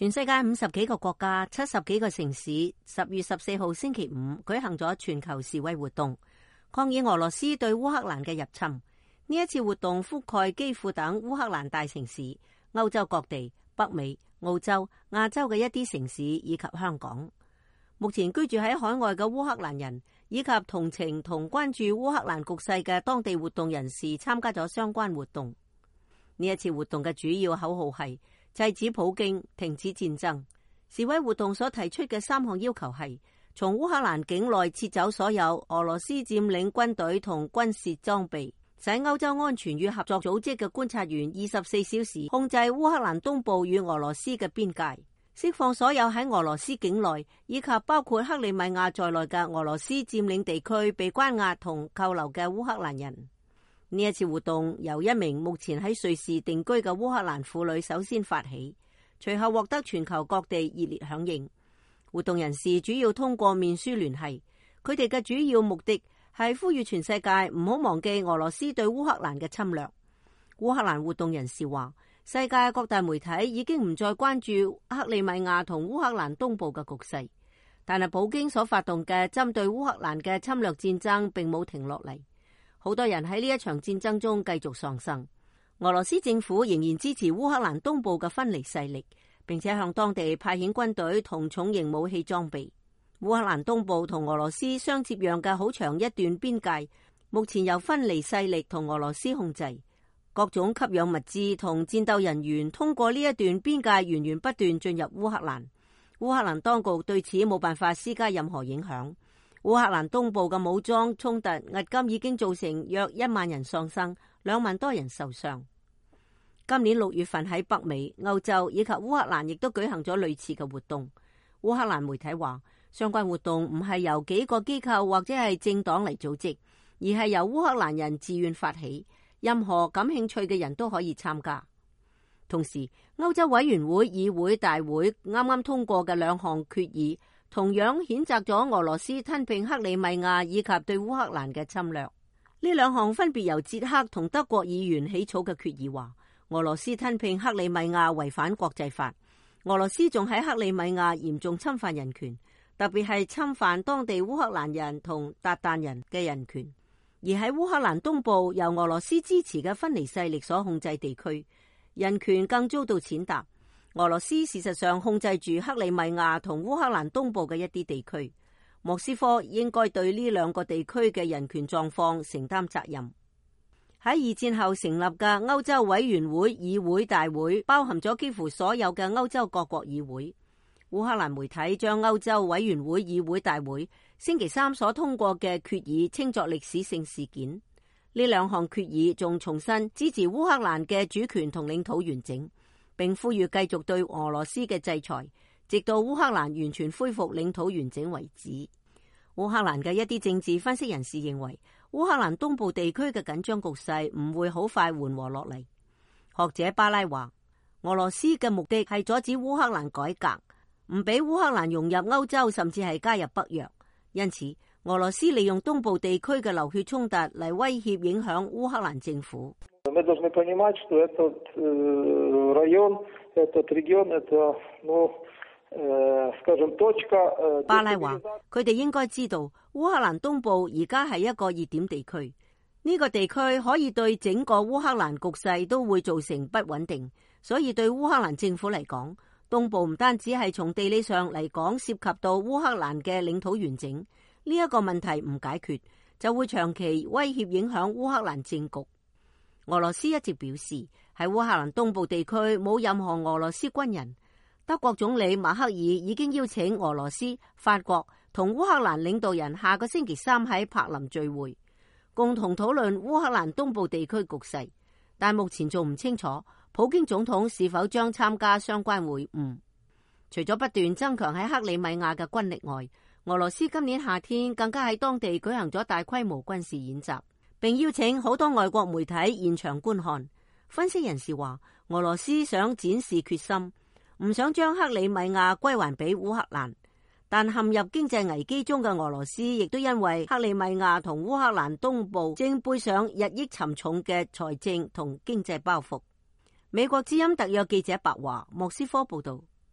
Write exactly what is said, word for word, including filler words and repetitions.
全世界五十幾個國家、七十幾個城市，十月十四號星期五舉行咗全球示威活動，抗議俄羅斯對烏克蘭嘅入侵。呢一次活動覆蓋基輔等烏克蘭大城市、歐洲各地、北美、澳洲、亞洲嘅一啲城市以及香港。目前居住喺海外嘅烏克蘭人以及同情同關注烏克蘭局勢嘅當地活動人士參加咗相關活動。呢一次活動嘅主要口號係制止普京、停止戰爭。示威活動所提出嘅三項要求係：從烏克蘭境內撤走所有俄羅斯佔領軍隊同軍事裝備，使歐洲安全與合作組織嘅觀察員二十四小時控制烏克蘭東部與俄羅斯嘅邊界，釋放所有喺俄羅斯境內以及包括克里米亞在內嘅俄羅斯佔領地區被關押同扣留嘅烏克蘭人。呢一次活動由一名目前喺瑞士定居嘅烏克蘭婦女首先發起，隨後獲得全球各地熱烈響應。活動人士主要通過面書聯繫，佢哋嘅主要目的係呼籲全世界唔好忘記俄羅斯對烏克蘭嘅侵略。烏克蘭活動人士話，世界各大媒體已經唔再關注克里米亞同烏克蘭東部嘅局勢，但係普京所發動嘅針對烏克蘭嘅侵略戰爭並冇停落嚟。好多人喺呢一場戰爭中繼續喪生。俄羅斯政府仍然支持烏克蘭東部嘅分離勢力，並且向當地派遣軍隊同重型武器裝備。烏克蘭東部同俄羅斯相接壤嘅好長一段邊界，目前由分離勢力同俄羅斯控制。各種給養物資同戰鬥人員通過呢一段邊界源源不斷進入烏克蘭。烏克蘭當局對此冇辦法施加任何影響。烏克蘭東部嘅武裝衝突迄今已經造成約一萬人喪生，兩萬多人受傷。今年六月份喺北美、歐洲以及烏克蘭亦都舉行咗類似嘅活動。烏克蘭媒體話，相關活動唔係由幾個機構或者係政黨嚟組織，而係由烏克蘭人自願發起，任何感興趣嘅人都可以參加。同時，歐洲委員會議會大會啱啱通過嘅兩項決議，同樣譴責咗俄羅斯吞併克里米亞以及對烏克蘭嘅侵略。呢兩項分別由捷克同德國議員起草嘅決議話，俄羅斯吞併克里米亞違反國際法，俄羅斯仲喺克里米亞嚴重侵犯人權，特別係侵犯當地烏克蘭人同韃靼人嘅人權。而喺烏克蘭東部由俄羅斯支持嘅分離勢力所控制地區，人權更遭到踐踏。俄羅斯事實上控制住克里米亞同烏克蘭東部嘅一啲地區，莫斯科應該對呢兩個地區嘅人權狀況承擔責任。喺二戰後成立嘅歐洲委員會議會大會，包含咗幾乎所有嘅歐洲各國議會。烏克蘭媒體將歐洲委員會議會大會星期三所通過嘅決議稱作歷史性事件。呢兩項決議仲重申支持烏克蘭嘅主權同領土完整，並呼籲繼續對俄羅斯嘅制裁，直到烏克蘭完全恢復領土完整為止。烏克蘭嘅一啲政治分析人士認為，烏克蘭東部地區嘅緊張局勢唔會好快緩和落嚟。學者巴拉話，俄羅斯嘅目的係阻止烏克蘭改革，唔俾烏克蘭融入歐洲，甚至係加入北約。因此，俄羅斯利用東部地區嘅流血衝突嚟威脅影響烏克蘭政府。巴拉話，佢哋應該知道烏克蘭東部而家係一個熱點地區，呢個地區可以對整個烏克蘭局勢都會造成不穩定，所以對烏克蘭政府嚟講，東部唔單止係從地理上嚟講涉及到烏克蘭嘅領土完整，呢一個問題唔解決，就會長期威脅影響烏克蘭政局。俄羅斯一直表示喺烏克蘭東部地區冇任何俄羅斯軍人。德國總理默克爾已經邀請俄羅斯、法國同烏克蘭領導人下個星期三喺柏林聚會，共同討論烏克蘭東部地區局勢，但目前仲唔清楚普京總統是否將參加相關會晤。除咗不斷增強喺克里米亞嘅軍力外，俄羅斯今年夏天更加喺當地舉行咗大規模軍事演習，並邀請好多外國媒體現場觀看。分析人士話，俄羅斯想展示決心，唔想將克里米亞歸還俾烏克蘭，但陷入經濟危機中嘅俄羅斯亦都因為克里米亞同烏克蘭東部正背上日益沉重嘅財政同經濟包袱。美國之音特約記者白華莫斯科報道。